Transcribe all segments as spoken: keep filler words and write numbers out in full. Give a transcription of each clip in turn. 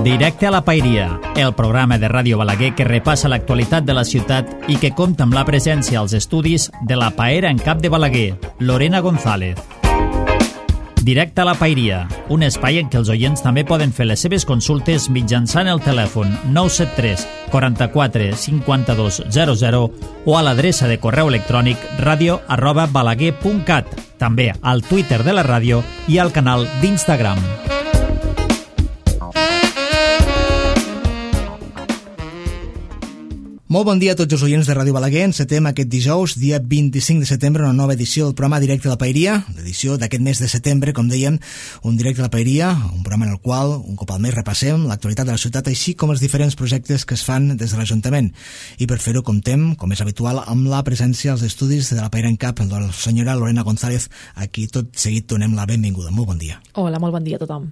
Directe a la Paeria, el programa de Ràdio Balaguer que repassa l'actualitat de la ciutat i que compta amb la presència als estudis de la paera en cap de Balaguer, Lorena González. Directe a la Paeria, un espai en què els oients també poden fer les seves consultes mitjançant el telèfon nou set tres quaranta-quatre cinquanta-dos zero zero o a l'adreça de correu electrònic radio arroba balaguer punt cat, també al Twitter de la ràdio i al canal d'Instagram. Molt bon dia a tots els oients de Ràdio Balaguer. Encetem aquest dijous, dia vint-i-cinc de setembre, una nova edició del programa Directe a la Paeria, l'edició d'aquest mes de setembre, com dèiem, un Directe a la Paeria, un programa en el qual, un cop al mes, repassem l'actualitat de la ciutat, així com els diferents projectes que es fan des de l'Ajuntament. I per fer-ho comptem, com és habitual, amb la presència als estudis de la Paera en Cap, de la senyora Lorena González, a qui tot seguit donem la benvinguda. Molt bon dia. Hola, molt bon dia a tothom.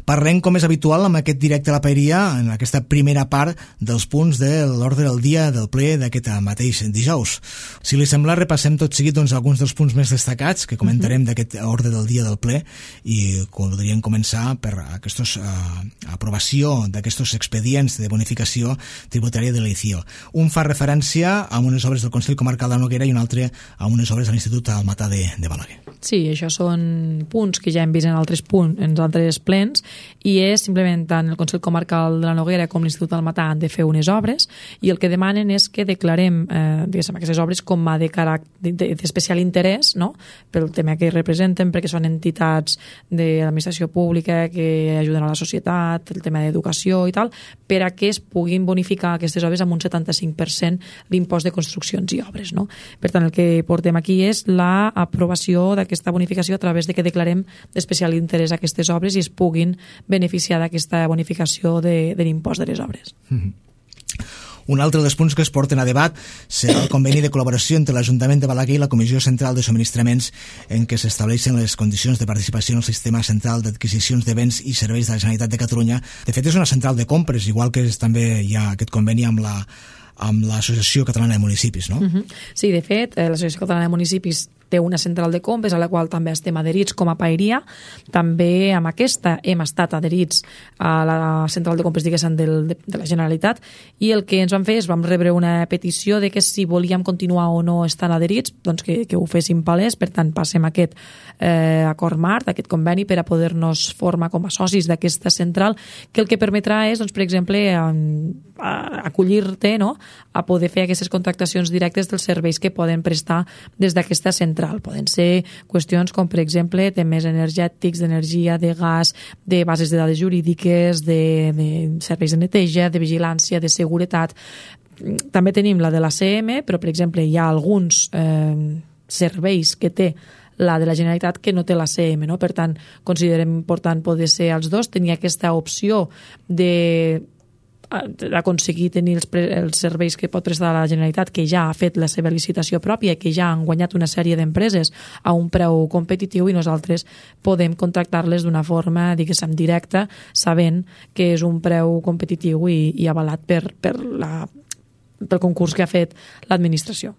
Parlem, com és habitual, amb aquest Directe a la Paeria, en aquesta primera part dels punts de l'ordre del dia del ple d'aquest mateix dijous. Si li sembla, repassem tot seguit doncs, alguns dels punts més destacats que comentarem uh-huh. d'aquest ordre del dia del ple i podríem començar per aquesta uh, aprovació d'aquests expedients de bonificació tributària de l'E-C I O. Un fa referència a unes obres del Consell Comarcal de Noguera i un altre a unes obres de l'Institut Almatà de, de Balaguer. Sí, això són punts que ja hem vist en altres punts, en altres plens, i és simplement tant el Consell Comarcal de la Noguera com l'Institut Almatà han de fer unes obres i el que demanen és que declarem eh, diguéssim, aquestes obres com a de caràcter d'especial interès, no? Pel tema que representen, perquè són entitats de l'administració pública que ajuden a la societat, el tema d'educació i tal, per a que es puguin bonificar aquestes obres amb un setanta-cinc per cent l'impost de construccions i obres, no? Per tant, el que portem aquí és l'aprovació d'aquesta bonificació a través de que declarem d'especial interès a aquestes obres i es puguin beneficiar d'aquesta bonificació de, de l'impost de les obres. Mm-hmm. Un altre dels punts que es porten a debat serà el conveni de col·laboració entre l'Ajuntament de Balaguer i la Comissió Central de Subministraments en què s'estableixen les condicions de participació en el Sistema Central d'Adquisicions de Béns i Serveis de la Generalitat de Catalunya. De fet, és una central de compres, igual que és, també hi ha aquest conveni amb la amb l'Associació Catalana de Municipis, no? Uh-huh. Sí, de fet, l'Associació Catalana de Municipis té una central de compres a la qual també estem adherits com a Paeria. També amb aquesta hem estat adherits a la central de compres, diguéssim, del, de, de la Generalitat, i el que ens vam fer és vam rebre una petició de que si volíem continuar o no estant adherits, doncs que, que ho féssim palès. Per tant, passem aquest eh, acord marc, aquest conveni, per a poder-nos formar com a socis d'aquesta central, que el que permetrà és, doncs, per exemple, a, a acollir-te, no?, a poder fer aquestes contractacions directes dels serveis que poden prestar des d'aquesta central. Poden ser qüestions com, per exemple, temes energètics, d'energia, de gas, de bases de dades jurídiques, de, de serveis de neteja, de vigilància, de seguretat. També tenim la de la C M, però, per exemple, hi ha alguns eh, serveis que té la de la Generalitat que no té la C M, no? Per tant, considerem important poder ser els dos, tenir aquesta opció de aconseguir tenir els, els serveis que pot prestar la Generalitat, que ja ha fet la seva licitació pròpia, que ja han guanyat una sèrie d'empreses a un preu competitiu, i nosaltres podem contractar-les d'una forma, diguéssim, directa, sabent que és un preu competitiu i, i avalat per, per la, pel concurs que ha fet l'administració.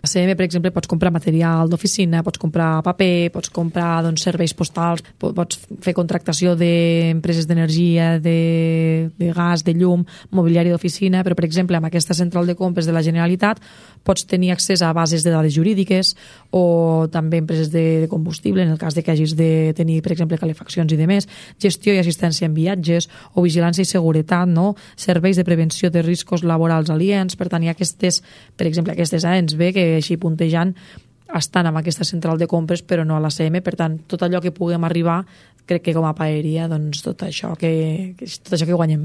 A C M, per exemple, pots comprar material d'oficina, pots comprar paper, pots comprar doncs, serveis postals, pots fer contractació d'empreses d'energia, de, de gas, de llum, mobiliari d'oficina, però, per exemple, amb aquesta central de compres de la Generalitat pots tenir accés a bases de dades jurídiques o també empreses de combustible, en el cas de que hagis de tenir, per exemple, calefaccions i demés, gestió i assistència en viatges o vigilància i seguretat, no? Serveis de prevenció de riscos laborals aliens. Per tant, hi ha aquestes, per exemple, aquestes A ens ve que així puntejant estan amb aquesta central de compres però no a la C M. Per tant, tot allò que puguem arribar, crec que com a Paeria, doncs tot això que, tot això que guanyem.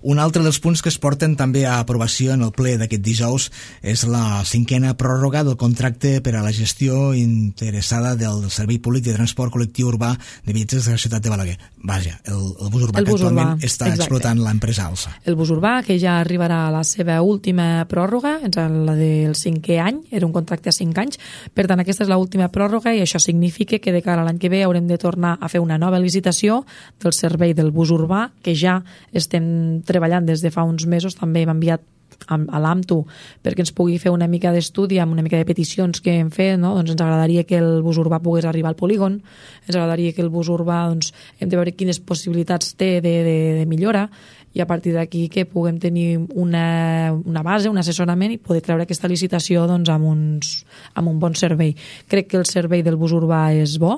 Un altre dels punts que es porten també a aprovació en el ple d'aquest dijous és la cinquena pròrroga del contracte per a la gestió interessada del Servei Públic de Transport Col·lectiu Urbà de Viatgers de la ciutat de Balaguer. Vaja, el, el bus urbà el bus que actualment urbà, està exacte. Explotant l'empresa Alsa. El bus urbà, que ja arribarà a la seva última pròrroga, la del cinquè any, era un contracte a cinc anys, per tant aquesta és l'última pròrroga i això significa que de cara a l'any que ve haurem de tornar a fer una nova licitació del servei del bus urbà, que ja estem treballant des de fa uns mesos. També hem enviat a l'AMTU perquè ens pugui fer una mica d'estudi amb una mica de peticions que hem fet, no? Doncs ens agradaria que el bus urbà pogués arribar al polígon, ens agradaria que el bus urbà, doncs, hem de veure quines possibilitats té de, de, de millora, i a partir d'aquí que puguem tenir una, una base, un assessorament i poder treure aquesta licitació doncs, amb, uns, amb un bon servei. Crec que el servei del bus urbà és bo.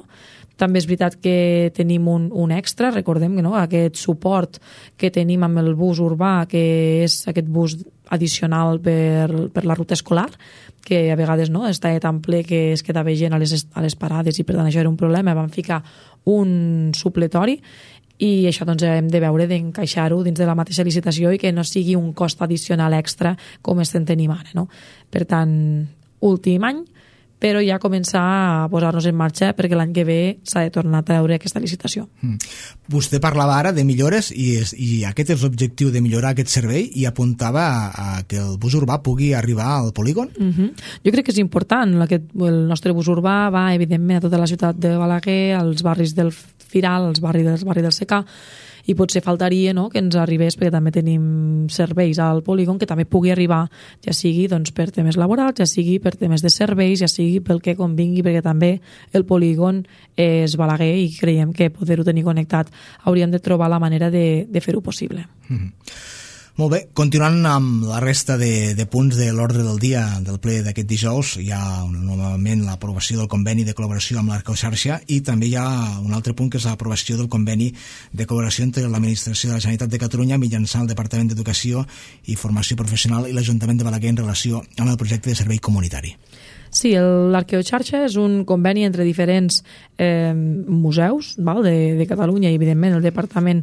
També és veritat que tenim un, un extra, recordem que no? Aquest suport que tenim amb el bus urbà, que és aquest bus addicional per, per la ruta escolar, que a vegades no, està tan ple que es quedava gent a les, a les parades i per tant això era un problema. Vam ficar un supletori i això doncs, hem de veure d'encaixar-ho dins de la mateixa licitació i que no sigui un cost addicional extra com estem tenint ara. No? Per tant, últim any, però ja començar a posar-nos en marxa perquè l'any que ve s'ha de tornar a treure aquesta licitació. Mm. Vostè parlava ara de millores i, és, i aquest és l'objectiu de millorar aquest servei i apuntava a, a que el bus urbà pugui arribar al polígon? Mm-hmm. Jo crec que és important. Aquest, el nostre bus urbà va, evidentment, a tota la ciutat de Balaguer, als barris del Firal, als barris del, barri del Secà, i potser faltaria no, que ens arribés, perquè també tenim serveis al polígon, que també pugui arribar, ja sigui doncs, per temes laborals, ja sigui per temes de serveis, ja sigui pel que convingui, perquè també el polígon és Balaguer i creiem que poder-ho tenir connectat hauríem de trobar la manera de, de fer-ho possible. Mm-hmm. Molt bé, continuant amb la resta de, de punts de l'ordre del dia del ple d'aquest dijous, hi ha novament l'aprovació del conveni de col·laboració amb l'Arqueoxarxa i també hi ha un altre punt que és l'aprovació del conveni de col·laboració entre l'Administració de la Generalitat de Catalunya mitjançant el Departament d'Educació i Formació Professional i l'Ajuntament de Balaguer en relació amb el projecte de servei comunitari. Sí, l'Arqueoxarxa és un conveni entre diferents eh, museus val, de, de Catalunya i, evidentment, el Departament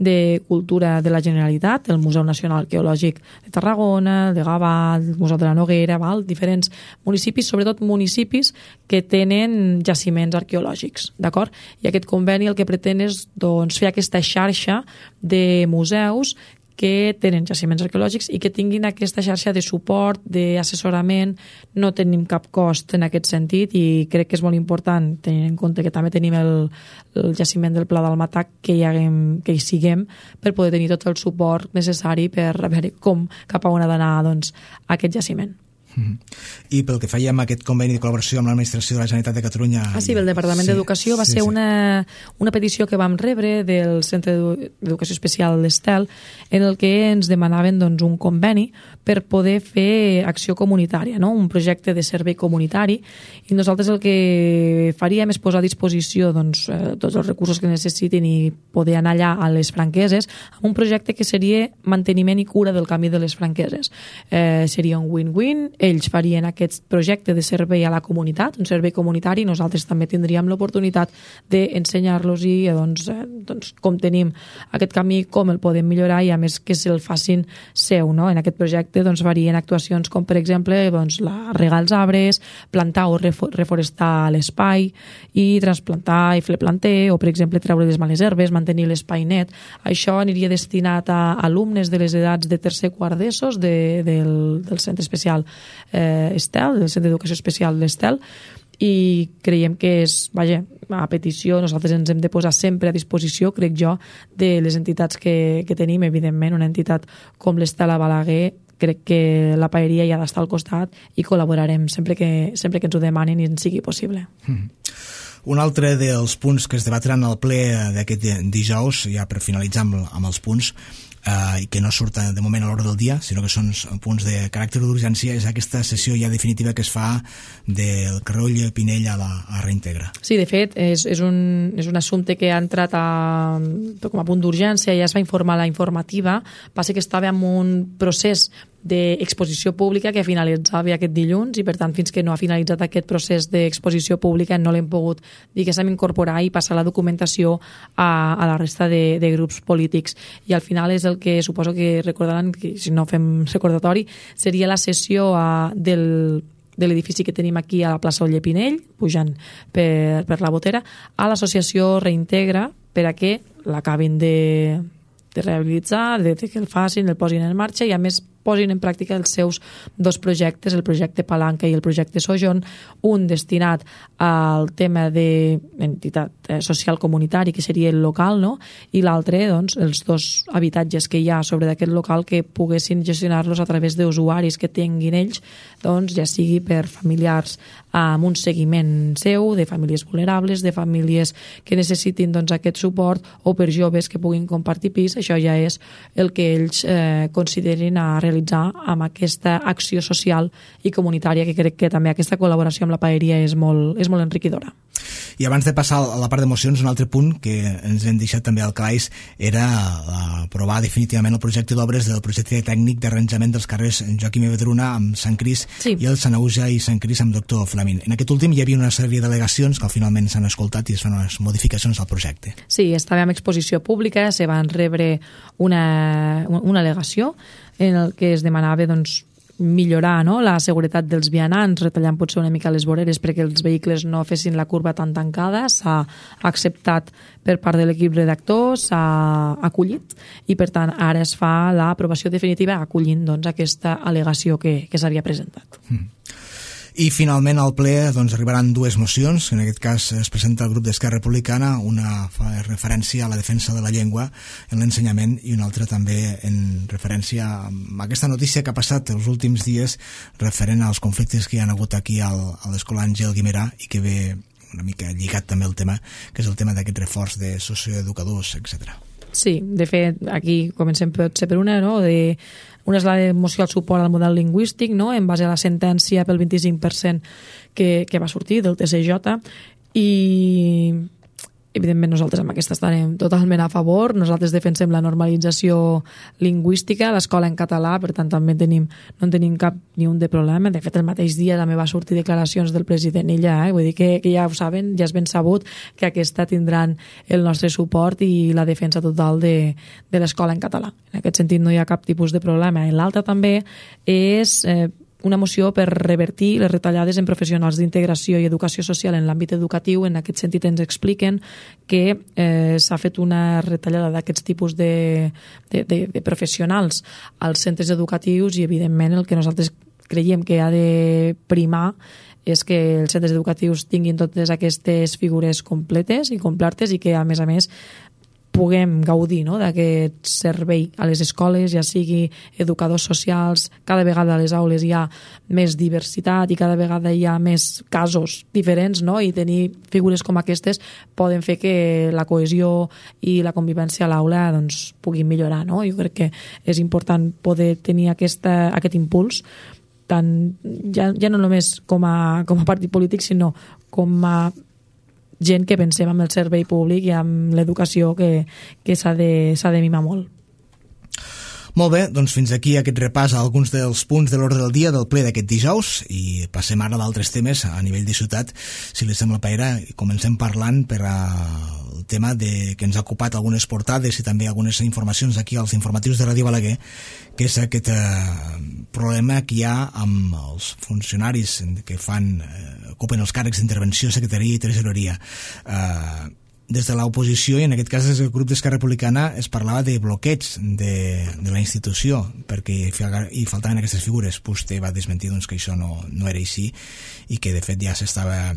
de Cultura de la Generalitat, el Museu Nacional Arqueològic de Tarragona, el de Gavà, el Museu de la Noguera, val, diferents municipis, sobretot municipis que tenen jaciments arqueològics, d'acord? I aquest conveni el que pretén és doncs, fer aquesta xarxa de museus que tenen jaciments arqueològics i que tinguin aquesta xarxa de suport, d'assessorament. No tenim cap cost en aquest sentit i crec que és molt important, tenint en compte que també tenim el, el jaciment del Pla del Matac, que hi, haguem, que hi siguem per poder tenir tot el suport necessari per veure com, cap a on ha d'anar doncs, aquest jaciment. I pel que fèiem aquest conveni de col·laboració amb l'Administració de la Generalitat de Catalunya... Ah, sí, el Departament sí, d'Educació va sí, ser sí. Una, una petició que vam rebre del Centre d'Educació Especial d'Estel en el que ens demanaven doncs, un conveni per poder fer acció comunitària, no? Un projecte de servei comunitari, i nosaltres el que faríem és posar a disposició doncs, tots els recursos que necessitin i poder anar allà a les Franqueses amb un projecte que seria manteniment i cura del camí de les Franqueses. Eh, seria un win-win. Ells farien aquest projecte de servei a la comunitat, un servei comunitari, i nosaltres també tindríem l'oportunitat d'ensenyar-los i doncs, doncs, com tenim aquest camí, com el podem millorar i a més que se'l facin seu. No? En aquest projecte doncs, varien actuacions com per exemple doncs, la regar els arbres, plantar o reforestar l'espai i transplantar i fer planter o per exemple treure les males herbes, mantenir l'espai net. Això aniria destinat a alumnes de les edats de tercer quart d'ESOs de, del, del centre especial Eh, Estel, del Centre d'Educació Especial d'Estel, i creiem que és, vaja, a petició, nosaltres ens hem de posar sempre a disposició, crec jo, de les entitats que, que tenim, evidentment, una entitat com l'Estel a Balaguer, crec que la paeria ja ha d'estar al costat i col·laborarem sempre que, sempre que ens ho demanin i ens sigui possible. Mm. Un altre dels punts que es debatran al ple d'aquest dijous, ja per finalitzar amb, amb els punts, eh, i que no surten de moment a l'hora del dia, sinó que són punts de caràcter d'urgència, és aquesta sessió ja definitiva que es fa del Carroll Pinell a la a Reintegra. Sí, de fet, és, és, un, és un assumpte que ha entrat a, com a punt d'urgència, ja es va informar la informativa, passa que estava en un procés d'exposició pública que finalitzava aquest dilluns i per tant fins que no ha finalitzat aquest procés d'exposició pública no l'hem pogut diguéssim incorporar i passar la documentació a, a la resta de, de grups polítics i al final és el que suposo que recordaran que si no fem recordatori seria la sessió a, del de l'edifici que tenim aquí a la plaça Oller Pinell, pujant per, per la Botera, a l'associació Reintegra per a que l'acabin de, de rehabilitar, de que el facin, el posin en marxa i a més posin en pràctica els seus dos projectes, el projecte Palanca i el projecte Sojourn, un destinat al tema d'entitat social comunitari, que seria el local, no? I l'altre, doncs, els dos habitatges que hi ha sobre d'aquest local que poguessin gestionar-los a través d'usuaris que tinguin ells, doncs, ja sigui per familiars amb un seguiment seu, de famílies vulnerables, de famílies que necessitin doncs, aquest suport, o per joves que puguin compartir pis. Això ja és el que ells eh, considerin a realitzar amb aquesta acció social i comunitària, que crec que també aquesta col·laboració amb la paeria és molt, és molt enriquidora. I abans de passar a la part d'emocions, un altre punt que ens hem deixat també al calaix era aprovar definitivament el projecte d'obres del projecte tècnic d'arranjament dels carrers Joaquim i Vedruna amb Sant Cris, sí, i el Sanaüja i Sant Cris amb Doctor Flamín. En aquest últim hi havia una sèrie d'al·legacions que finalment s'han escoltat i es fan unes modificacions al projecte. Sí, estava en exposició pública, se van rebre una, una al·legació en el que es demanava doncs, millorar, no?, la seguretat dels vianants, retallant potser una mica les voreres perquè els vehicles no fessin la curva tan tancada. S'ha acceptat per part de l'equip redactor, s'ha acollit i per tant ara es fa l'aprovació definitiva acollint doncs, aquesta al·legació que, que s'havia presentat. Mm. I finalment al ple doncs, arribaran dues mocions. En aquest cas es presenta el grup d'Esquerra Republicana, una fa referència a la defensa de la llengua en l'ensenyament i una altra també en referència a aquesta notícia que ha passat els últims dies referent als conflictes que hi ha hagut aquí al, a l'escola Àngel Guimerà i que ve una mica lligat també el tema, que és el tema d'aquest reforç de socioeducadors, etcètera. Sí, de fet, aquí comencem potser per una, no?, de una és la moció al suport al model lingüístic, no?, en base a la sentència pel vint-i-cinc per cent que, que va sortir del T C J, i evidentment nosaltres amb aquesta estarem totalment a favor. Nosaltres defensem la normalització lingüística a l'escola en català, per tant també tenim, no en tenim cap ni un de problema. De fet, el mateix dia també va sortir declaracions del president ella, eh? Vull dir que, que ja ho saben, ja és ben sabut que aquesta tindran el nostre suport i la defensa total de, de l'escola en català. En aquest sentit no hi ha cap tipus de problema. I l'altra també és eh, una moció per revertir les retallades en professionals d'integració i educació social en l'àmbit educatiu. En aquest sentit ens expliquen que eh, s'ha fet una retallada d'aquests tipus de, de, de, de professionals als centres educatius i evidentment el que nosaltres creiem que ha de primar és que els centres educatius tinguin totes aquestes figures completes i complertes i que a més a més puguem gaudir, no?, d'aquest servei a les escoles, ja sigui educadors socials. Cada vegada a les aules hi ha més diversitat i cada vegada hi ha més casos diferents, no?, i tenir figures com aquestes poden fer que la cohesió i la convivència a l'aula doncs, puguin millorar, no? Jo crec que és important poder tenir aquesta, aquest impuls, tant, ja, ja no només com a, com a partit polític, sinó com a gent que pensem amb el servei públic i amb l'educació que, que s'ha de, s'ha de mimar molt. Molt bé, doncs fins aquí aquest repàs a alguns dels punts de l'ordre del dia del ple d'aquest dijous i passem ara a d'altres temes a nivell de ciutat, si li sembla paera, i comencem parlant per al tema de, que ens ha ocupat algunes portades i també algunes informacions aquí als informatius de Ràdio Balaguer, que és aquest eh, problema que hi ha amb els funcionaris que fan, eh, ocupen els càrrecs d'intervenció, secretaria i tresoreria. Eh, des de l'oposició, i en aquest cas des del grup d'Esquerra Republicana, es parlava de bloqueig de, de la institució perquè hi faltaven aquestes figures. Vostè va desmentir doncs, que això no, no era així i que de fet ja s'estava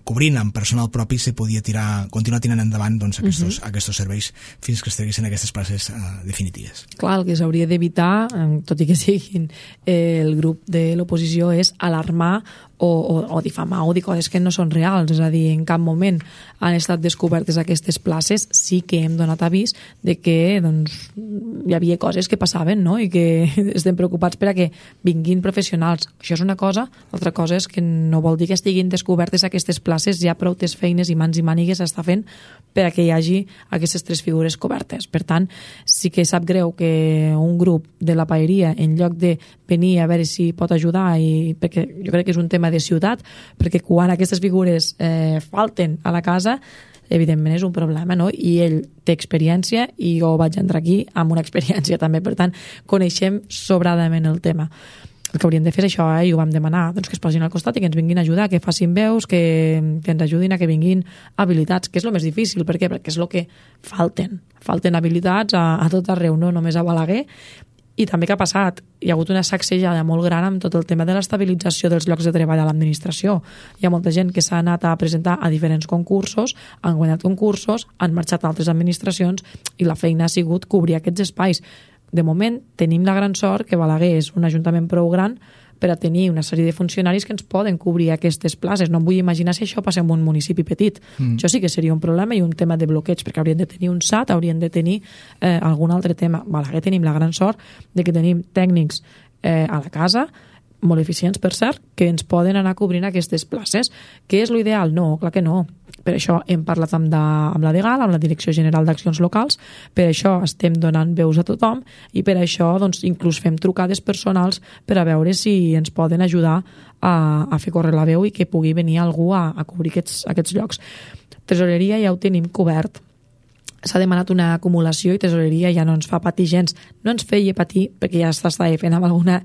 cobrint amb personal propi, se podia tirar, continuar tirant endavant doncs, aquests, uh -huh. aquests serveis fins que es treguessin aquestes places uh, definitives. Clar, el que s'hauria d'evitar, tot i que siguin eh, el grup de l'oposició, és alarmar o, o, o difamar o dir coses que no són reals. És a dir, en cap moment han estat descobertes aquestes places. Sí que hem donat avís de que doncs, hi havia coses que passaven, no?, i que estem preocupats per a que vinguin professionals. Això és una cosa. L'altra cosa és que no vol dir que estiguin descobertes aquestes places. Hi ha prou feines i mans i mànigues s'està fent per a que hi hagi aquestes tres figures cobertes. Per tant, sí que sap greu que un grup de la paeria, en lloc de venir a veure si pot ajudar, i perquè jo crec que és un tema de ciutat, perquè quan aquestes figures eh, falten a la casa, evidentment és un problema, no? I ell té experiència i jo vaig entrar aquí amb una experiència també, per tant coneixem sobradament el tema. El que hauríem de fer és això, eh? I ho vam demanar, doncs que es posin al costat i que ens vinguin a ajudar, que facin veus, que, que ens ajudin a que vinguin habilitats, que és el més difícil. Per què? Perquè és el que falten. Falten habilitats a, a tot arreu, no només a Balaguer, I també què ha passat? Hi ha hagut una sacsejada molt gran amb tot el tema de l'estabilització dels llocs de treball a l'administració. Hi ha molta gent que s'ha anat a presentar a diferents concursos, han guanyat concursos, han marxat a altres administracions i la feina ha sigut cobrir aquests espais. De moment tenim la gran sort que Balaguer és un ajuntament prou gran per a tenir una sèrie de funcionaris que ens poden cobrir aquestes places. No em vull imaginar si això passa en un municipi petit. Mm. Això sí que seria un problema i un tema de bloqueig, perquè haurien de tenir un S A T, haurien de tenir eh, algun altre tema. Balaguer tenim la gran sort de que tenim tècnics eh, a la casa, molt eficients, per cert, que ens poden anar cobrint aquestes places. Què és l'ideal? No, clar que no. Per això hem parlat amb, de, amb la DGAL, amb la Direcció General d'Accions Locals, per això estem donant veus a tothom i per això doncs, inclús fem trucades personals per a veure si ens poden ajudar a, a fer córrer la veu i que pugui venir algú a, a cobrir aquests, aquests llocs. Tresoreria ja ho tenim cobert. S'ha demanat una acumulació i Tresoreria ja no ens fa patir gens. No ens feia patir perquè ja s'estava fent amb alguna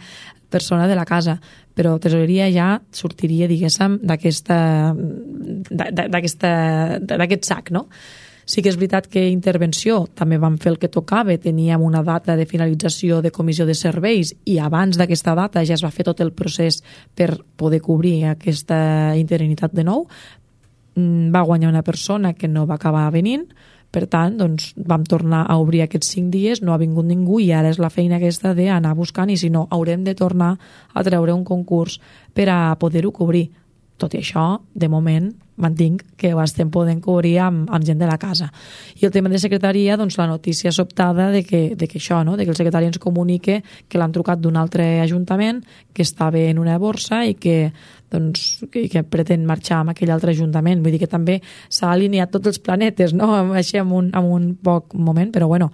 persona de la casa, però Tresoreria ja sortiria, diguéssim, d'aquesta d'aquest sac, no? Sí que és veritat que intervenció també vam fer el que tocava, teníem una data de finalització de comissió de serveis i abans d'aquesta data ja es va fer tot el procés per poder cobrir aquesta interinitat de nou. Va guanyar una persona que no va acabar venint. Per tant, doncs, vam tornar a obrir aquests cinc dies, no ha vingut ningú i ara és la feina aquesta d'anar buscant i si no, haurem de tornar a treure un concurs per a poder-ho cobrir. Tot i això, de moment, mantinc que ho estem podent cobrir amb, amb gent de la casa. I el tema de secretaria, doncs la notícia sobtada de que, de que això, no? De que el secretari ens comunique que l'han trucat d'un altre ajuntament, que estava en una borsa i que, doncs, que, que pretén marxar amb aquell altre ajuntament. Vull dir que també s'ha alineat tots els planetes, no? Així en un, en un poc moment, però bueno,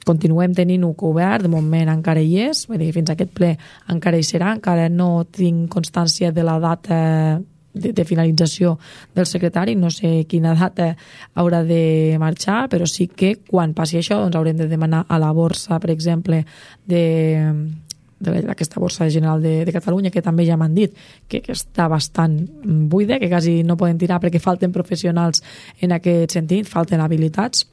continuem tenint-ho cobert, de moment encara hi és, vull dir, fins a aquest ple encara hi serà, encara no tinc constància de la data de, de finalització del secretari, no sé quina data haurà de marxar, però sí que quan passi això doncs haurem de demanar a la borsa, per exemple, de d'aquesta borsa general de, de Catalunya, que també ja m'han dit que, que està bastant buida, que quasi no poden tirar perquè falten professionals en aquest sentit, falten habilitats,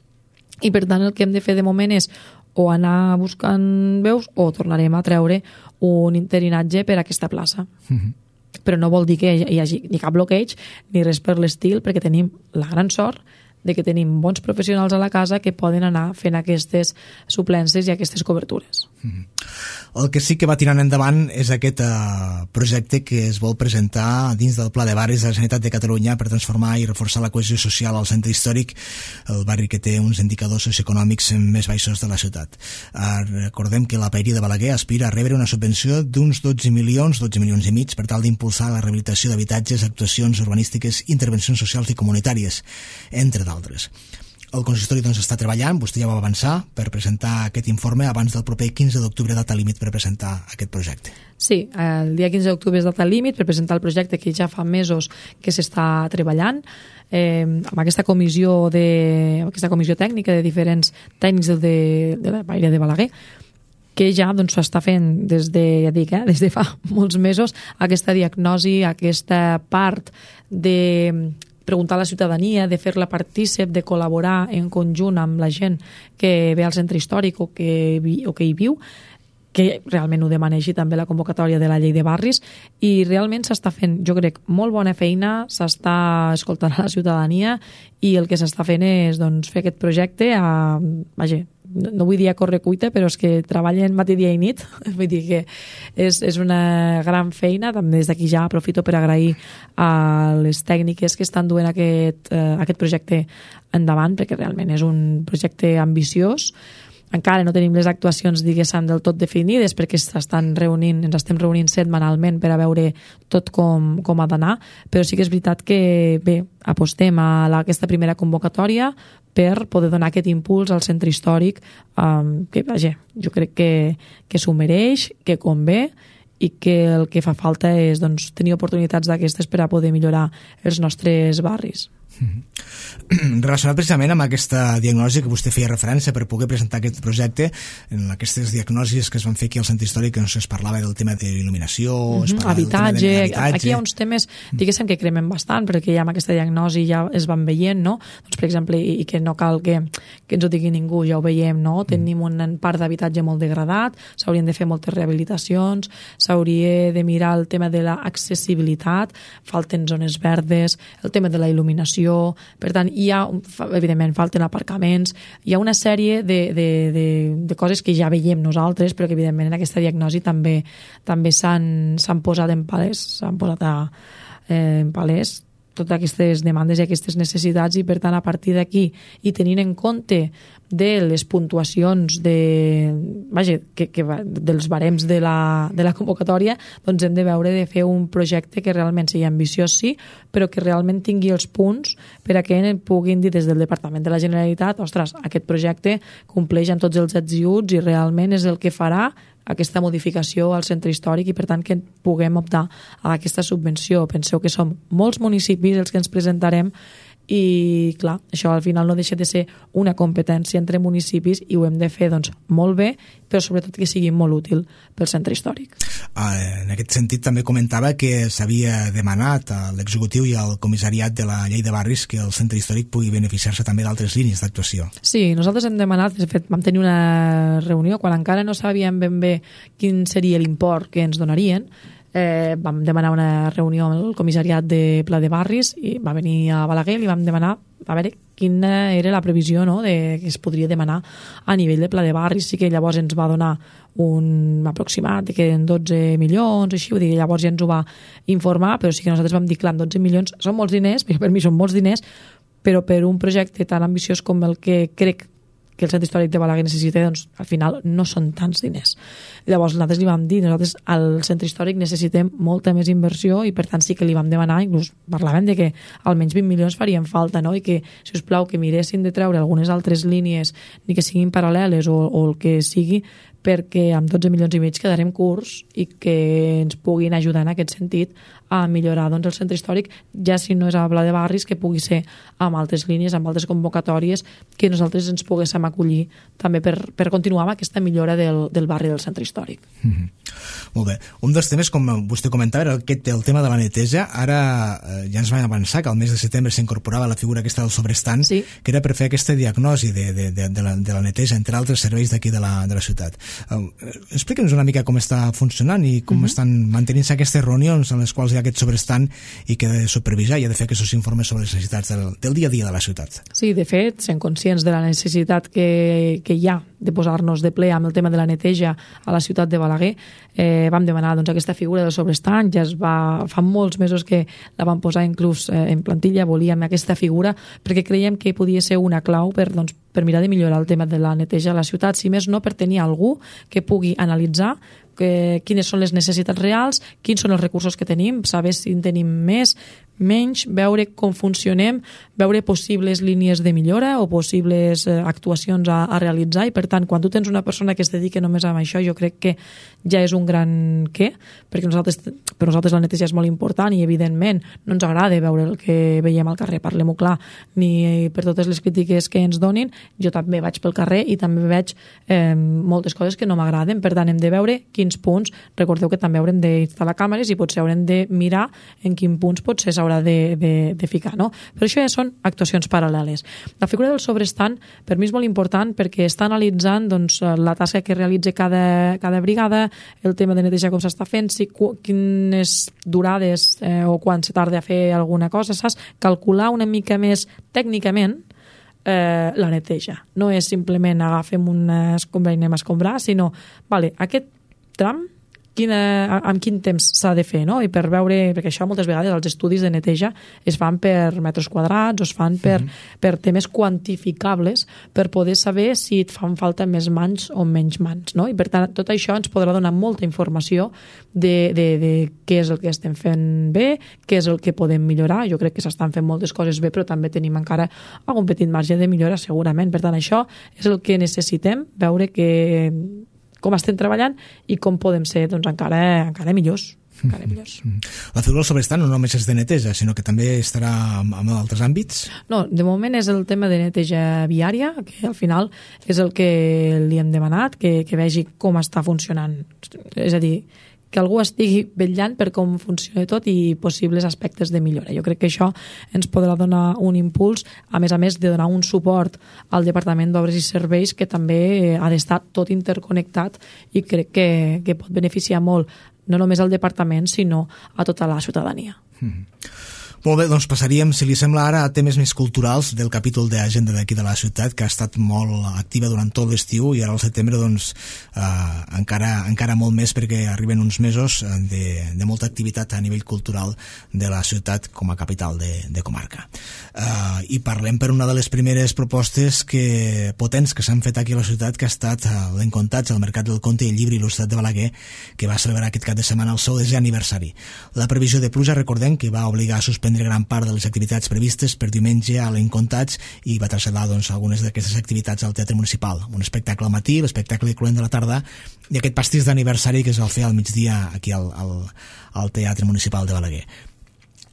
i per tant el que hem de fer de moment és o anar buscant veus o tornarem a treure un interinatge per a aquesta plaça. Mm-hmm. Però no vol dir que hi hagi ni cap bloqueig ni res per l'estil, perquè tenim la gran sort de que tenim bons professionals a la casa que poden anar fent aquestes suplències i aquestes cobertures. Mm-hmm. El que sí que va tirant endavant és aquest eh, projecte que es vol presentar dins del Pla de Barris de la Generalitat de Catalunya per transformar i reforçar la cohesió social al centre històric, el barri que té uns indicadors socioeconòmics més baixos de la ciutat. Eh, recordem que la Paeria de Balaguer aspira a rebre una subvenció d'uns dotze milions, dotze milions i mig per tal d'impulsar la rehabilitació d'habitatges, actuacions urbanístiques, intervencions socials i comunitàries, entre d'altres. El consistori doncs està treballant, vostè ja va avançar, per presentar aquest informe abans del proper quinze d'octubre, data límit per presentar aquest projecte. Sí, el dia quinze d'octubre és data límit per presentar el projecte que ja fa mesos que s'està treballant. Eh, amb aquesta comissió, de, aquesta comissió tècnica de diferents tècnics de, de la Paeria de Balaguer, que ja doncs, s'està fent des de, ja dic, eh, des de fa molts mesos, aquesta diagnosi, aquesta part de preguntar a la ciutadania, de fer-la partícip, de col·laborar en conjunt amb la gent que ve al centre històric o que, vi, o que hi viu, que realment ho demaneixi també la convocatòria de la llei de barris, i realment s'està fent, jo crec, molt bona feina, s'està escoltant a la ciutadania i el que s'està fent és doncs, fer aquest projecte a, vaja, no vull dir a correcuita, però és que treballen matí, dia i nit, vull dir que és, és una gran feina. També des d'aquí ja aprofito per agrair a les tècniques que estan duent aquest, eh, aquest projecte endavant, perquè realment és un projecte ambiciós. Encara no tenim les actuacions, diguéssim, del tot definides perquè s'estan reunint, ens estem reunint setmanalment per a veure tot com, com ha d'anar, però sí que és veritat que bé, apostem a la, aquesta primera convocatòria per poder donar aquest impuls al centre històric, um, que vaja, jo crec que, que s'ho mereix, que convé, i que el que fa falta és doncs, tenir oportunitats d'aquestes per a poder millorar els nostres barris. Mm-hmm. Relacionat precisament amb aquesta diagnosi que vostè feia referència per poder presentar aquest projecte, en aquestes diagnosis que es van fer aquí al centre històric, que no sé, es parlava del tema d'il·luminació, mm-hmm. es parlava habitatge, del tema de l'habitatge. Aquí hi ha uns temes, diguéssim, que cremen bastant, perquè ja amb aquesta diagnosi ja es van veient, no? Doncs, per exemple, i, i que no cal que, que ens ho digui ningú, ja ho veiem, no? Tenim un parc d'habitatge molt degradat, s'haurien de fer moltes rehabilitacions, s'hauria de mirar el tema de l'accessibilitat, falten zones verdes, el tema de la il·luminació, per tant, hi ha, evidentment, falten aparcaments, hi ha una sèrie de, de, de, de coses que ja veiem nosaltres, però que, evidentment, en aquesta diagnosi també també s'han posat en palès, s'han posat a, eh, en palès totes aquestes demandes i aquestes necessitats, i per tant a partir d'aquí i tenint en compte de les puntuacions de, vaja, que, que, dels barems de la, de la convocatòria, doncs hem de veure de fer un projecte que realment sigui ambiciós, sí, però que realment tingui els punts per a que puguin dir des del Departament de la Generalitat, ostres, aquest projecte compleix amb tots els ets i uts i realment és el que farà aquesta modificació al centre històric i per tant que puguem optar a aquesta subvenció. Penseu que som molts municipis els que ens presentarem i clar, això al final no deixa de ser una competència entre municipis i ho hem de fer doncs molt bé, però sobretot que sigui molt útil pel centre històric. En aquest sentit també comentava que s'havia demanat a l'executiu i al comissariat de la llei de barris que el centre històric pugui beneficiar-se també d'altres línies d'actuació. Sí, nosaltres hem demanat, de fet vam tenir una reunió quan encara no sabíem ben bé quin seria l'import que ens donarien. Eh, vam demanar una reunió amb el comissariat de Pla de Barris i va venir a Balaguer i li vam demanar a veure quina era la previsió, no?, de que es podria demanar a nivell de Pla de Barris. Sí que llavors ens va donar un aproximat de que en dotze milions, així, vull dir, llavors ja ens ho va informar, però sí que nosaltres vam dir, clar, dotze milions són molts diners, perquè per mi són molts diners, però per un projecte tan ambiciós com el que crec que el centre històric de Balaguer necessita, doncs al final no són tants diners. Llavors nosaltres li vam dir, nosaltres al centre històric necessitem molta més inversió i per tant sí que li vam demanar, inclús parlàvem de que almenys vint milions farien falta, no? I que, si us plau, que miressin de treure algunes altres línies, ni que siguin paral·leles o, o el que sigui, perquè amb dotze milions i mig quedarem curts i que ens puguin ajudar en aquest sentit a millorar doncs, el centre històric, ja si no és a Pla de Barris, que pugui ser amb altres línies, amb altres convocatòries, que nosaltres ens poguéssim acollir també per, per continuar amb aquesta millora del, del barri del centre històric. Mm-hmm. Molt bé. Un dels temes, com vostè comentava, era aquest, el tema de la neteja. Ara eh, ja ens vam avançar que al mes de setembre s'incorporava la figura aquesta del sobrestant, sí, que era per fer aquesta diagnosi de, de, de, de, la, de la neteja, entre altres serveis d'aquí de, la, de la ciutat. Uh, Explica'ns una mica com està funcionant i com mm-hmm. estan mantenint-se aquestes reunions en les quals hi ha aquest sobrestant i que ha de supervisar i ha de fer aquests informes sobre les necessitats del, del dia a dia de la ciutat. Sí, de fet, sent conscients de la necessitat que, que hi ha de posar-nos de ple amb el tema de la neteja a la ciutat de Balaguer, eh, vam demanar doncs, aquesta figura del sobrestant, ja es va, fa molts mesos que la vam posar inclús eh, en plantilla, volíem aquesta figura perquè creiem que podia ser una clau per, doncs, per mirar de millorar el tema de la neteja a la ciutat, si més no per tenir algú que pugui analitzar que, quines són les necessitats reals, quins són els recursos que tenim, saber si en tenim més, menys, veure com funcionem, veure possibles línies de millora o possibles eh, actuacions a, a realitzar i per tant, quan tu tens una persona que es dedica només a això, jo crec que ja és un gran què, perquè nosaltres, per nosaltres la neteja és molt important i evidentment no ens agrada veure el que veiem al carrer, parlem-ho clar, ni per totes les crítiques que ens donin, jo també vaig pel carrer i també veig eh, moltes coses que no m'agraden, per tant hem de veure quins punts, recordeu que també haurem d'instal·lar càmeres i potser haurem de mirar en quins punts potser s'haurà de, de, de ficar, no? Però això ja són actuacions paral·leles. La figura del sobrestant per mi és molt important perquè està analitzant doncs, la tasca que realitza cada, cada brigada, el tema de neteja com s'està fent, si, quines durades eh, o quan se tarda a fer alguna cosa, saps? Calcular una mica més tècnicament eh, la neteja. No és simplement agafem una escombra i anem a escombrar, sinó, vale, aquest tram Quina, amb quin temps s'ha de fer, no? I per veure, perquè això moltes vegades els estudis de neteja es fan per metres quadrats o es fan per, mm-hmm. per temes quantificables per poder saber si et fan falta més mans o menys mans, no? I per tant tot això ens podrà donar molta informació de, de, de què és el que estem fent bé, què és el que podem millorar. Jo crec que s'estan fent moltes coses bé, però també tenim encara algun petit marge de millora segurament. Per tant, això és el que necessitem, veure que com estem treballant i com podem ser doncs, encara, encara millors. encara millors. La figura del sobrestant no només és de neteja, sinó que també estarà en altres àmbits? No, de moment és el tema de neteja viària, que al final és el que li hem demanat, que, que vegi com està funcionant. És a dir, que algú estigui vetllant per com funciona tot i possibles aspectes de millora. Jo crec que això ens podrà donar un impuls, a més a més de donar un suport al Departament d'Obres i Serveis, que també ha d'estar tot interconnectat i crec que, que pot beneficiar molt no només al departament, sinó a tota la ciutadania. Mm-hmm. Molt bé, doncs passaríem, si li sembla ara, a temes més culturals del capítol d'agenda d'aquí de la ciutat, que ha estat molt activa durant tot l'estiu i ara al setembre doncs eh, encara, encara molt més, perquè arriben uns mesos de, de molta activitat a nivell cultural de la ciutat com a capital de, de comarca. Eh, I parlem per una de les primeres propostes que, potents que s'han fet aquí a la ciutat, que ha estat l'Encontats al Mercat del Conte i el Llibre Il·lustrat de Balaguer, que va celebrar aquest cap de setmana el seu desè aniversari. La previsió de pluja, recordem, que va obligar a suspendre gran part de les activitats previstes per diumenge a l'Encontats i va traslladar doncs, algunes d'aquestes activitats al Teatre Municipal. Un espectacle al matí, l'espectacle Cluent de la tarda i aquest pastís d'aniversari que es va fer al migdia aquí al, al, al Teatre Municipal de Balaguer.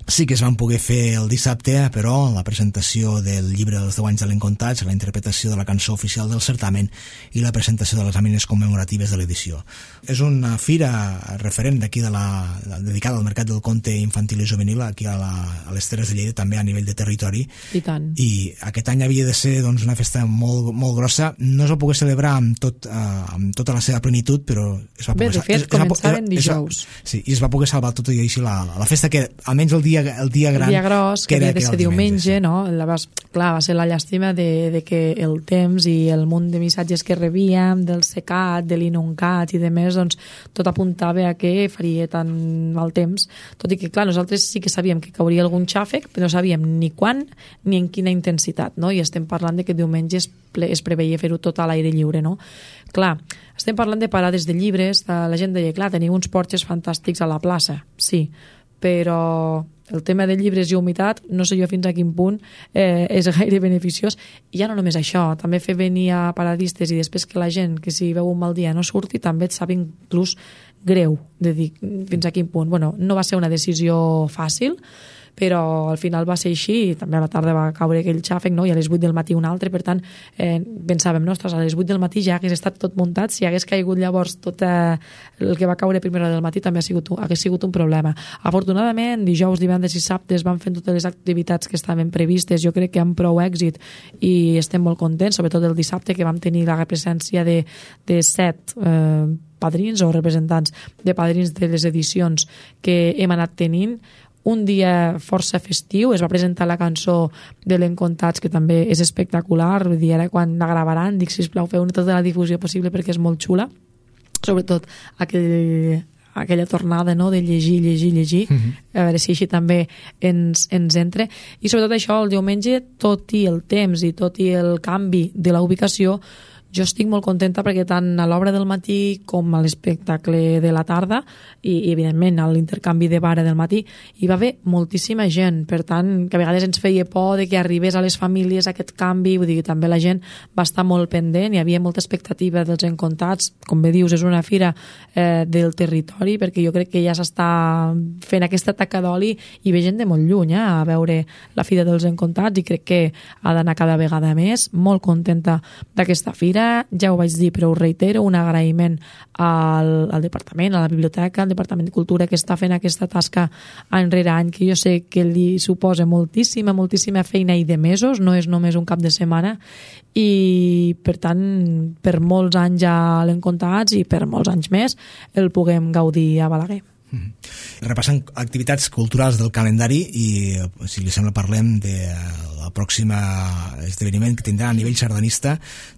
Sí que es van poder fer el dissabte, però la presentació del llibre dels deu anys de l'Encontats, la interpretació de la cançó oficial del certamen i la presentació de les làmines commemoratives de l'edició. És una fira referent d'aquí de la, dedicada al mercat del conte infantil i juvenil aquí a, la, a les Terres de Lleida, també a nivell de territori. I tant. I aquest any havia de ser doncs, una festa molt, molt grossa. No es va poder celebrar amb, tot, uh, amb tota la seva plenitud, però es va Bé, poder... de fet, es, començaven es, dijous. Es, sí, i es va poder salvar tot i així la, la festa, que almenys el dia el dia gran, el dia gros, que, que havia de ser diumenge, diumenge, no? La vas, clar, va ser la llàstima de, de que el temps i el munt de missatges que rebíem, del secat, de l'inuncat i de més, doncs tot apuntava a que faria tan mal temps, tot i que, clar, nosaltres sí que sabíem que cauria algun xàfec, però no sabíem ni quan ni en quina intensitat, no? I estem parlant de que diumenge es, ple, es preveia fer-ho tot a l'aire lliure, no? Clar, estem parlant de parades de llibres, de, la gent deia, clar, teniu uns porxes fantàstics a la plaça, sí, però el tema de llibres i humitat no sé jo fins a quin punt eh, és gaire beneficiós. I ja no només això, també fer venir a paradistes i després que la gent que si veu un mal dia no surti també et sap inclús greu de dir fins a quin punt. Bueno, no va ser una decisió fàcil, però al final va ser així i també a la tarda va caure aquell xàfec, no? I a les vuit del matí un altre, per tant eh, pensàvem, ostres, a les vuit del matí ja hagués estat tot muntat, si hagués caigut llavors tot eh, el que va caure a primera hora del matí també ha sigut, hagués sigut un problema. Afortunadament, dijous, divendres i sabtes van fent totes les activitats que estaven previstes, jo crec que amb prou èxit i estem molt contents, sobretot el dissabte que vam tenir la presència de, de set eh, padrins o representants de padrins de les edicions que hem anat tenint. Un dia força festiu, es va presentar la cançó de l'Encontats, que també és espectacular, vull dir, ara quan la gravaran, dic, sisplau, feu tota la difusió possible perquè és molt xula, sobretot aquell, aquella tornada, no?, de llegir, llegir, llegir, uh-huh. A veure si així també ens, ens entra. I sobretot això, el diumenge, tot i el temps i tot i el canvi de la ubicació, jo estic molt contenta perquè tant a l'obra del matí com a l'espectacle de la tarda i, i evidentment a l'intercanvi de vara del matí hi va haver moltíssima gent, per tant que a vegades ens feia por de que arribés a les famílies aquest canvi, vull dir que també la gent va estar molt pendent, hi havia molta expectativa dels Encontats, com bé dius és una fira eh, del territori perquè jo crec que ja s'està fent aquesta taca d'oli i ve gent de molt lluny eh, a veure la fira dels Encontats i crec que ha d'anar cada vegada més, molt contenta d'aquesta fira. Ja ho vaig dir, però ho reitero, un agraïment al, al departament, a la biblioteca, al Departament de Cultura que està fent aquesta tasca any rere any, que jo sé que li suposa moltíssima, moltíssima feina i de mesos, no és només un cap de setmana, i per tant, per molts anys a l'Encontats i per molts anys més el puguem gaudir a Balaguer. Mm-hmm. Repassant activitats culturals del calendari i, si li sembla, parlem de la pròxima esdeveniment que tindrà a nivell sardanista,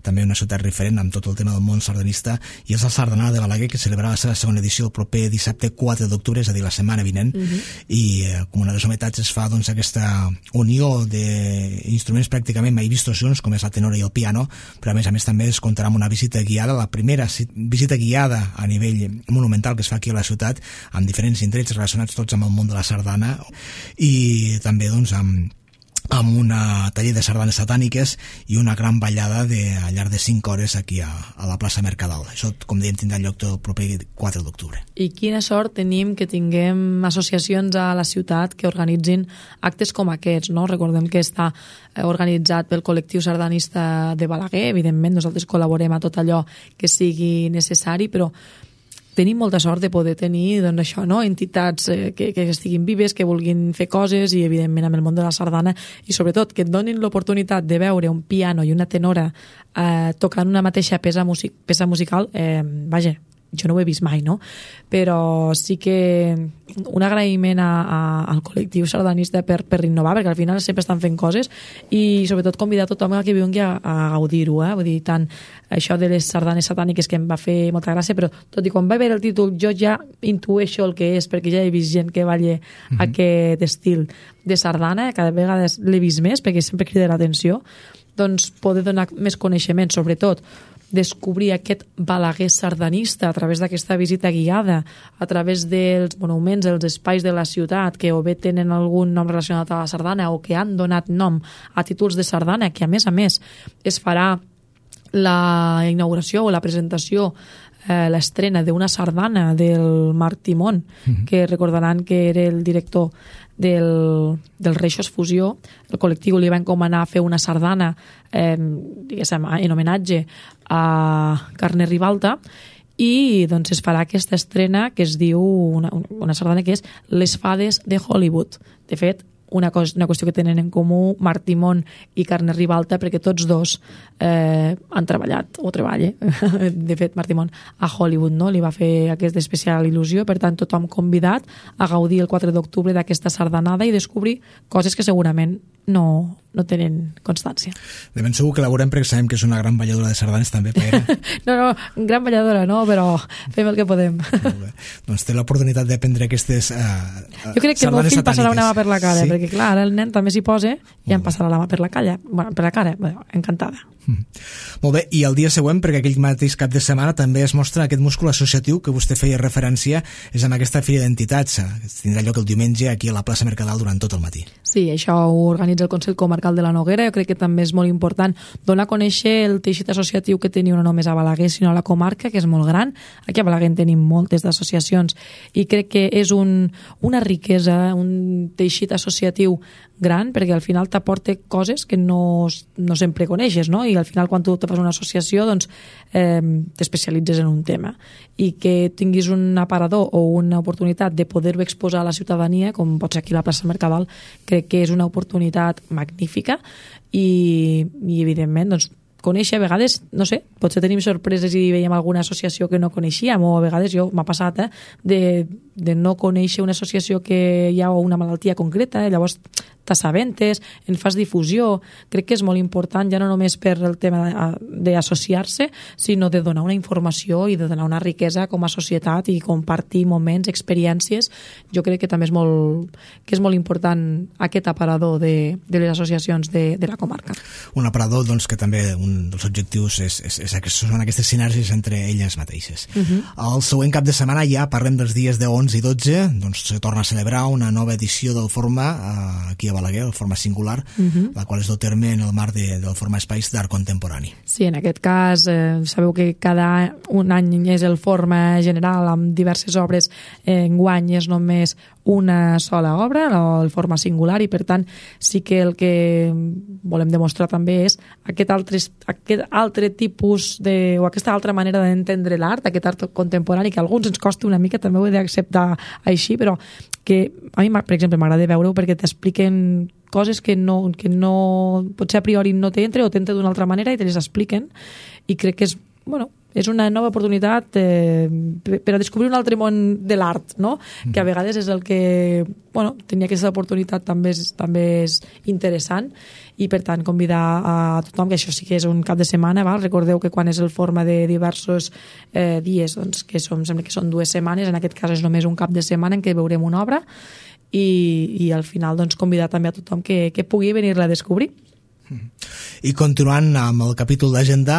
també una ciutat referent amb tot el tema del món sardanista, i és el Sardanal de Balaguer, que celebrarà la seva segona edició el proper dissabte quatre d'octubre, és a dir, la setmana vinent, uh-huh. i eh, com una de les novetats es fa doncs, aquesta unió d'instruments pràcticament mai vistos junts, com és la tenora i el piano, però a més a més també es comptarà amb una visita guiada, la primera visita guiada a nivell monumental que es fa aquí a la ciutat, amb diferents indrets relacionats tots amb el món de la sardana, i també doncs amb amb una taller de sardanes satàniques i una gran ballada de, al llarg de cinc hores aquí a, a la plaça Mercadal. Això, com dèiem, tindrà lloc el proper quatre d'octubre. I quina sort tenim que tinguem associacions a la ciutat que organitzin actes com aquests, no? Recordem que està organitzat pel col·lectiu sardanista de Balaguer. Evidentment, nosaltres col·laborem a tot allò que sigui necessari, però tenim molta sort de poder tenir, doncs, això, no? Entitats eh, que, que estiguin vives, que vulguin fer coses, i evidentment amb el món de la sardana, i sobretot que et donin l'oportunitat de veure un piano i una tenora eh, tocant una mateixa peça, music peça musical, eh, vaja, jo no ho he vist mai, no? Però sí que un agraïment a, a, al col·lectiu sardanista per, per innovar, perquè al final sempre estan fent coses, i sobretot convidar tothom a que vingui a, a gaudir-ho, eh? Vull dir, tant això de les sardanes satàniques, que em va fer molta gràcia, però tot i quan vaig veure el títol jo ja intueixo el que és, perquè ja he vist gent que balla mm-hmm. aquest estil de sardana, cada vegada l'he vist més, perquè sempre crida l'atenció, doncs poder donar més coneixement, sobretot descobrir aquest Balaguer sardanista a través d'aquesta visita guiada, a través dels monuments, dels espais de la ciutat que o bé tenen algun nom relacionat a la sardana o que han donat nom a títols de sardana, que a més a més es farà la inauguració o la presentació, eh, l'estrena d'una sardana del Marc Timón, mm-hmm. que recordaran que era el director del, del Reixos Fusió. El col·lectiu li va encomanar a fer una sardana eh, diguéssim, en homenatge a Carner Ribalta, i doncs es farà aquesta estrena que es diu una, una sardana que és Les Fades de Hollywood. De fet, una, cosa, una qüestió que tenen en comú Marc Timón i Carner Ribalta, perquè tots dos eh, han treballat o treballa, de fet Marc Timón a Hollywood, no? Li va fer aquesta especial il·lusió, per tant tothom convidat a gaudir el quatre d'octubre d'aquesta sardanada i descobrir coses que segurament no, no tenen constància. De ben segur que la veurem, perquè sabem que és una gran balladora de sardanes també, Paera. No, no, gran balladora no, però fem el que podem. Molt bé. Doncs té l'oportunitat d'aprendre aquestes uh, jo crec que el meu fill satàniques. Passarà una mà per la cara, sí? perquè clar, ara el nen també s'hi posa i em passarà la mà per la calla, bueno, per la cara, bueno, encantada. Mm. Molt bé, i el dia següent, perquè aquell mateix cap de setmana també es mostra aquest múscul associatiu que vostè feia referència, és amb aquesta fira d'entitats, que tindrà lloc el diumenge aquí a la plaça Mercadal durant tot el matí. Sí, això ho organitza el Consell Comarcal de la Noguera. Jo crec que també és molt important donar a conèixer el teixit associatiu que teniu no només a Balaguer, sinó a la comarca, que és molt gran. Aquí a Balaguer en tenim moltes d'associacions i crec que és un, una riquesa, un teixit associatiu gran, perquè al final t'aporta coses que no, no sempre coneixes, no? I al final quan tu te fas una associació doncs eh, t'especialitzes en un tema, i que tinguis un aparador o una oportunitat de poder-ho exposar a la ciutadania, com pot ser aquí a la plaça Mercadal, crec que és una oportunitat magnífica i, i evidentment doncs conèixer, a vegades, no sé, potser tenim sorpreses i veiem alguna associació que no coneixíem, o a vegades jo m'ha passat eh, de, de no conèixer una associació que hi ha una malaltia concreta, i llavors t'assabentes, en fas difusió. Crec que és molt important, ja no només per el tema d'associar-se, sinó de donar una informació i de donar una riquesa com a societat i compartir moments, experiències. Jo crec que també és molt, que és molt important aquest aparador de, de les associacions de, de la comarca. Un aparador doncs, que també un dels objectius és, és, és que són aquestes sinergies entre elles mateixes. Uh-huh. El següent cap de setmana ja parlem dels dies de onze i dotze, doncs se torna a celebrar una nova edició del Forma eh, aquí a Balaguer, el Forma Singular, uh-huh. la qual es du terme en el marc de, del Forma Espais d'Art Contemporani. Sí, en aquest cas eh, sabeu que cada un any és el Forma General amb diverses obres, eh, enguany és només una sola obra, el Forma Singular, i per tant sí que el que volem demostrar també és aquest altre, aquest altre tipus de, o aquesta altra manera d'entendre l'art, aquest art contemporani que a alguns ens costa una mica, també ho he d'acceptar així, però que a mi, per exemple, m'agrada veure-ho perquè t'expliquen coses que no, que no potser a priori no t'entra o t'entra d'una altra manera i te les expliquen, i crec que és, bueno, és una nova oportunitat eh, per a descobrir un altre món de l'art, no? Mm. Que a vegades és el que, bueno, tenir aquesta oportunitat també és, també és interessant, i per tant convidar a tothom, que això sí que és un cap de setmana, val? Recordeu que quan és el Forma de diversos eh, dies, doncs que som, sembla que són dues setmanes, en aquest cas és només un cap de setmana en què veurem una obra, i, i al final doncs convidar també a tothom que, que pugui venir-la a descobrir. I continuant amb el capítol d'agenda,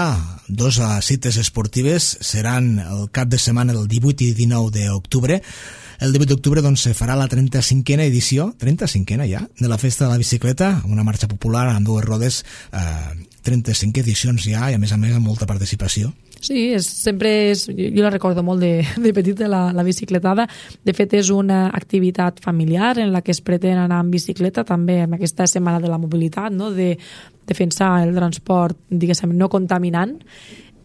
dos cites esportives seran el cap de setmana del divuit i dinou d'octubre. El divuit d'octubre doncs, se farà la trenta-cinquena edició, trenta-cinquena ja, de la Festa de la Bicicleta, una marxa popular amb dues rodes, eh, trenta-cinc edicions ja, i a més a més amb molta participació. Sí, és, sempre és, jo la recordo molt de, de petita, la, la bicicletada. De fet, és una activitat familiar en la que es pretén anar en bicicleta, també en aquesta setmana de la mobilitat, no? De defensar el transport, diguéssim, no contaminant,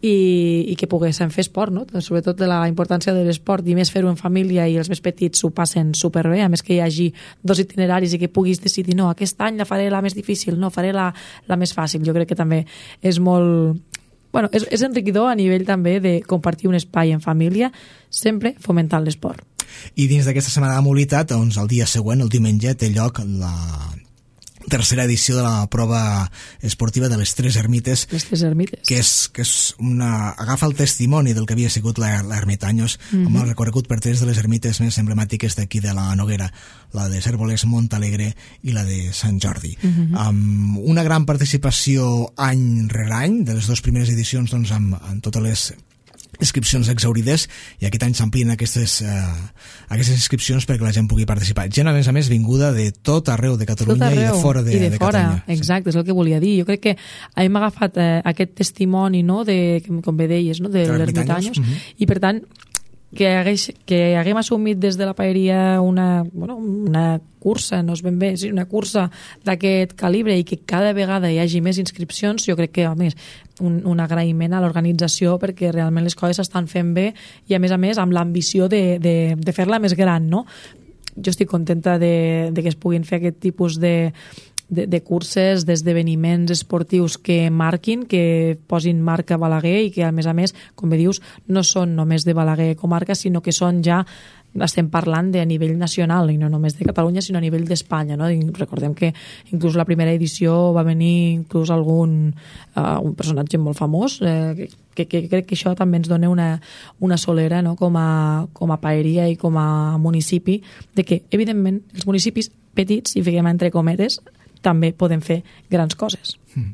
i, i que poguéssim fer esport, no? Sobretot de la importància de l'esport, i més fer-ho en família, i els més petits s'ho passen superbé, a més que hi hagi dos itineraris i que puguis decidir, no, aquest any la faré la més difícil, no, faré la, la més fàcil. Jo crec que també és molt... Bueno, és, és enriquidor a nivell també de compartir un espai en família, sempre fomentant l'esport. I dins d'aquesta setmana de mobilitat, doncs, el dia següent, el diumenge, té lloc la tercera edició de la prova esportiva de les Tres Ermites. Les Tres Ermites. Que és, que és una... agafa el testimoni del que havia sigut l'Ermitanyos, mm-hmm. amb el recorregut per tres de les ermites més emblemàtiques d'aquí de la Noguera, la de Cérvoles, Montalegre i la de Sant Jordi. Mm-hmm. Amb una gran participació any rere any, de les dues primeres edicions, doncs, amb, amb totes les inscripcions exaurides, i aquest any s'amplien aquestes, eh, aquestes inscripcions perquè la gent pugui participar. Gent, a més a més, vinguda de tot arreu de Catalunya i de fora de, I de, de fora. Catalunya. Exacte, és el que volia dir. Jo crec que hem agafat eh, aquest testimoni, no?, de, com bé deies, no?, de l'Ermitanyos, mm-hmm. i per tant que, hagueix, que haguem assumit des de la paeria una, bueno, una cursa, no és ben bé, sí, una cursa d'aquest calibre, i que cada vegada hi hagi més inscripcions, jo crec que, a més, un, un agraïment a l'organització, perquè realment les coses s'estan fent bé, i a més a més amb l'ambició de, de, de fer-la més gran, no? Jo estic contenta de, de que es puguin fer aquest tipus de De, de curses, d'esdeveniments esportius que marquin, que posin marca Balaguer, i que a més a més, com bé dius, no són només de Balaguer comarca, sinó que són ja, estem parlant de a nivell nacional, i no només de Catalunya, sinó a nivell d'Espanya, no? I recordem que inclús la primera edició va venir inclús algun uh, un personatge molt famós, eh, que, que crec que això també ens dona una, una solera, no?, com a, com a paeria i com a municipi, de que, evidentment, els municipis petits, i fiquem entre cometes, també podem fer grans coses. Mm.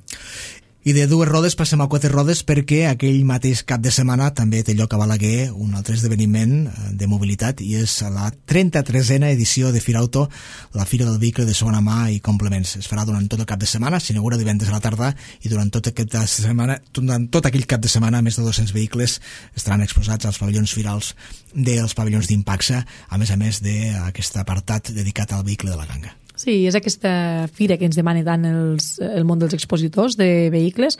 I de dues rodes passem a quatre rodes, perquè aquell mateix cap de setmana també té lloc a Balaguer un altre esdeveniment de mobilitat, i és la trenta-tresena edició de Firauto, la Fira del Vehicle de Segona Mà i Complements. Es farà durant tot el cap de setmana, s'inaugura divendres a la tarda, i durant tot, aquesta setmana, durant tot aquell cap de setmana més de dos-cents vehicles estaran exposats als pavellons firals dels pavellons d'Impaxa, a més a més d'aquest apartat dedicat al vehicle de la ganga. Sí, és aquesta fira que ens demana tant els, el món dels expositors de vehicles,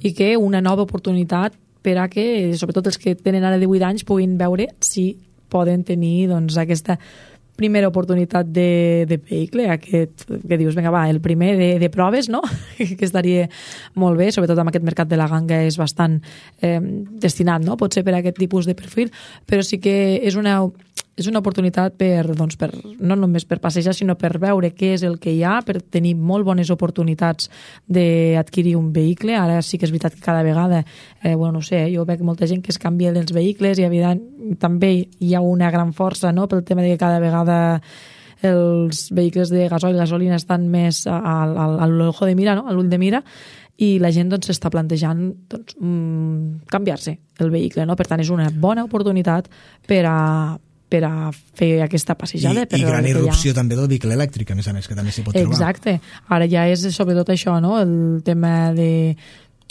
i que una nova oportunitat per a que, sobretot els que tenen ara divuit anys, puguin veure si poden tenir, doncs, aquesta primera oportunitat de, de vehicle, aquest, que dius, vinga, va, el primer de, de proves, no? Que estaria molt bé, sobretot amb aquest mercat de la ganga és bastant eh, destinat, no?, potser per a aquest tipus de perfil, però sí que és una... és una oportunitat per, doncs, per, no només per passejar, sinó per veure què és el que hi ha, per tenir molt bones oportunitats d'adquirir un vehicle. Ara sí que és veritat que cada vegada, eh, bueno, no sé, jo veig molta gent que es canvia dels vehicles, i evident, també hi ha una gran força, no?, pel tema de que cada vegada els vehicles de gasoil i gasolina estan més al, al, a l'ojo de mira, no?, a l'ull de mira, i la gent, doncs, s'està plantejant, doncs, mm, canviar-se el vehicle, no? Per tant, és una bona oportunitat per a per a fer aquesta passejada. I, i gran irrupció també del vehicle elèctric, a més a més, que també s'hi pot trobar. Exacte. Ara ja és sobretot això, no?, el tema de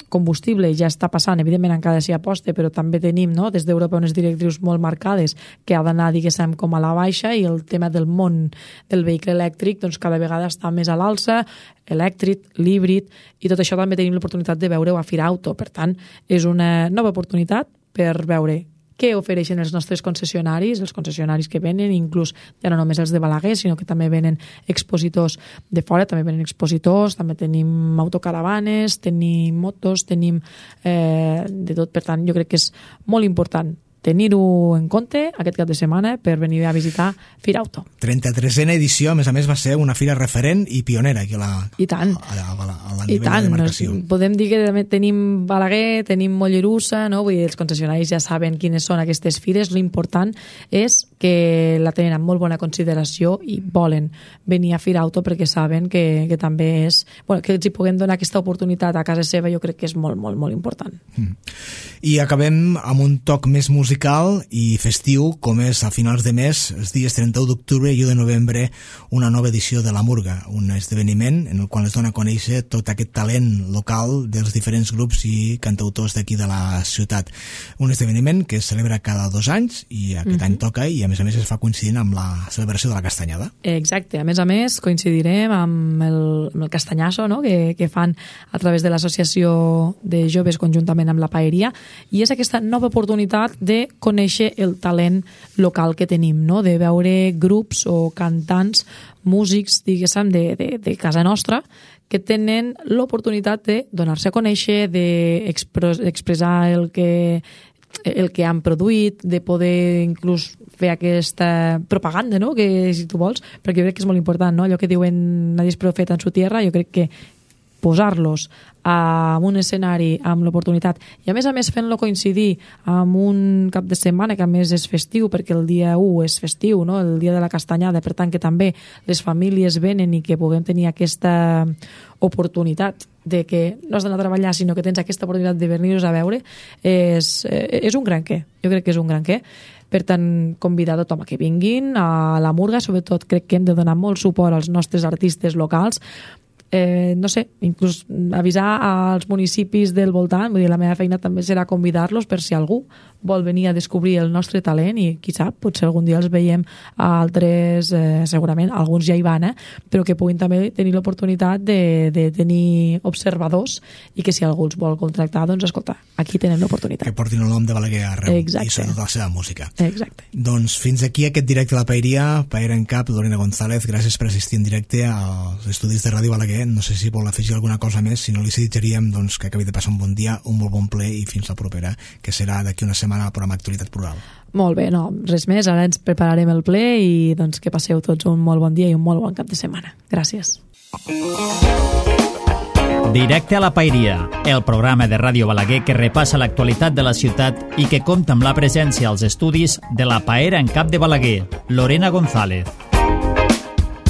combustible ja està passant, evidentment encara s'hi aposta, però també tenim, no?, des d'Europa unes directrius molt marcades que ha d'anar, diguéssim, com a la baixa, i el tema del món del vehicle elèctric, doncs, cada vegada està més a l'alça, elèctric, l'híbrid, i tot això també tenim l'oportunitat de veure-ho a Firauto. Per tant, és una nova oportunitat per veure què ofereixen els nostres concessionaris, els concessionaris que venen, inclús ja no només els de Balaguer, sinó que també venen expositors de fora, també venen expositors, també tenim autocaravanes, tenim motos, tenim eh, de tot. Per tant, jo crec que és molt important tenir-ho en compte aquest cap de setmana per venir a visitar Firauto. trenta-tresena edició, a més a més, va ser una fira referent i pionera aquí a la, I tant. a la, a la, a la I nivell tant. de demarcació. Nos, podem dir que tenim Balaguer, tenim Mollerussa, no? Vull dir, els concessionaris ja saben quines són aquestes fires. L'important és que la tenen amb molt bona consideració i volen venir a Firauto perquè saben que, que també és... Bueno, que els hi puguem donar aquesta oportunitat a casa seva, jo crec que és molt, molt, molt important. Mm. I acabem amb un toc més musical i festiu, com és a finals de mes, els dies trenta-u d'octubre i u de novembre, una nova edició de La Murga, un esdeveniment en el qual es dona a conèixer tot aquest talent local dels diferents grups i cantautors d'aquí de la ciutat. Un esdeveniment que es celebra cada dos anys i aquest mm-hmm. any toca i a més a més es fa coincidint amb la celebració de la Castanyada. Exacte, a més a més coincidirem amb el, amb el castanyasso, no? que, que fan a través de l'associació de joves conjuntament amb la Paeria, i és aquesta nova oportunitat de conèixer el talent local que tenim, no? De veure grups o cantants, músics, diguéssim, de, de, de casa nostra, que tenen l'oportunitat de donar-se a conèixer, d'expressar el que, el que han produït, de poder inclús fer aquesta propaganda, no? Que, si tu vols, perquè jo crec que és molt important, no? Allò que diuen nadie es profeta en su tierra, jo crec que posar-los en un escenari amb l'oportunitat i a més a més fent-lo coincidir amb un cap de setmana que a més és festiu, perquè el dia u és festiu, no? El dia de la Castanyada, per tant que també les famílies venen i que puguem tenir aquesta oportunitat de que no has d'anar a treballar sinó que tens aquesta oportunitat de venir-nos a veure, és, és un gran què, jo crec que és un gran què. Per tant, convidar a tothom a que vinguin a la Murga, sobretot crec que hem de donar molt suport als nostres artistes locals. Eh, no sé, inclús avisar als municipis del voltant, vull dir, la meva feina també serà convidar-los per si algú vol venir a descobrir el nostre talent i qui sap, potser algun dia els veiem a altres, eh, segurament alguns ja hi van, eh, però que puguin també tenir l'oportunitat de, de tenir observadors i que si algú els vol contractar, doncs escolta, aquí tenen l'oportunitat. Que portin el nom de Balaguer arreu. Exacte. I sobretot la seva música. Exacte. Doncs fins aquí aquest directe a la Paeria. Paera en cap, Lorena González, gràcies per assistir en directe als estudis de Ràdio Balaguer. No sé si vol afegir alguna cosa més, si no li desitjaríem doncs, que acabi de passar un bon dia, un molt bon ple i fins la propera, que serà d'aquí una setmana al programa Actualitat Plural. Molt bé, no, res més, ara ens prepararem el ple i doncs que passeu tots un molt bon dia i un molt bon cap de setmana. Gràcies. Directe a la Paeria, el programa de Ràdio Balaguer que repassa l'actualitat de la ciutat i que compta amb la presència als estudis de la Paera en cap de Balaguer, Lorena González.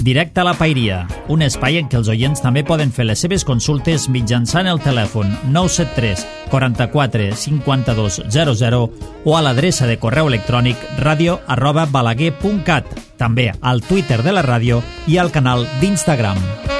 Directe a la Paeria, un espai en què els oients també poden fer les seves consultes mitjançant el telèfon nou set tres, quaranta-quatre, cinquanta-dos, zero zero o a l'adreça de correu electrònic radio arroba balaguer punt cat, també al Twitter de la ràdio i al canal d'Instagram.